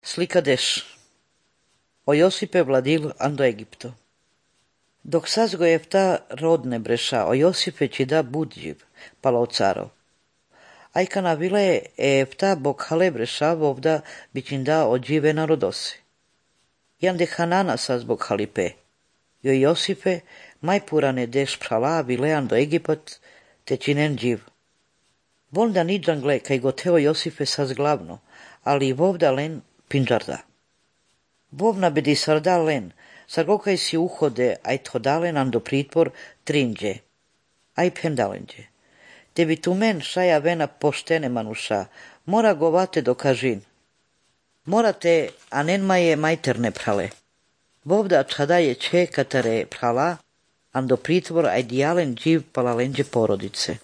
Slika deš. O Josipe vladil ando Egipto. Dok sazgo Jefta rodne breša, o Josipe či da budživ, palo o carov. Ajkana vile Jefta bok hale breša vovda bičinda odžive narodosi. Jande Hanana saz bok halipe. Jo Josipe majpurane deš prala vile ando Egipat te činen dživ. Volda niđangle kaj goteo Josipe saz glavno, ali vovda len pinđarda. Vovna bedi sarda len, sargokaj si uhode, aj thodalen ando pritvor trinđe, aj pendalenđe. Tebi tu men šaja vena poštene manuša, mora govate do kažin. Morate, anenma je majterne prale. Vovda čada je če katare prala, ando pritvor aj dijalen dživ palalenđe porodice.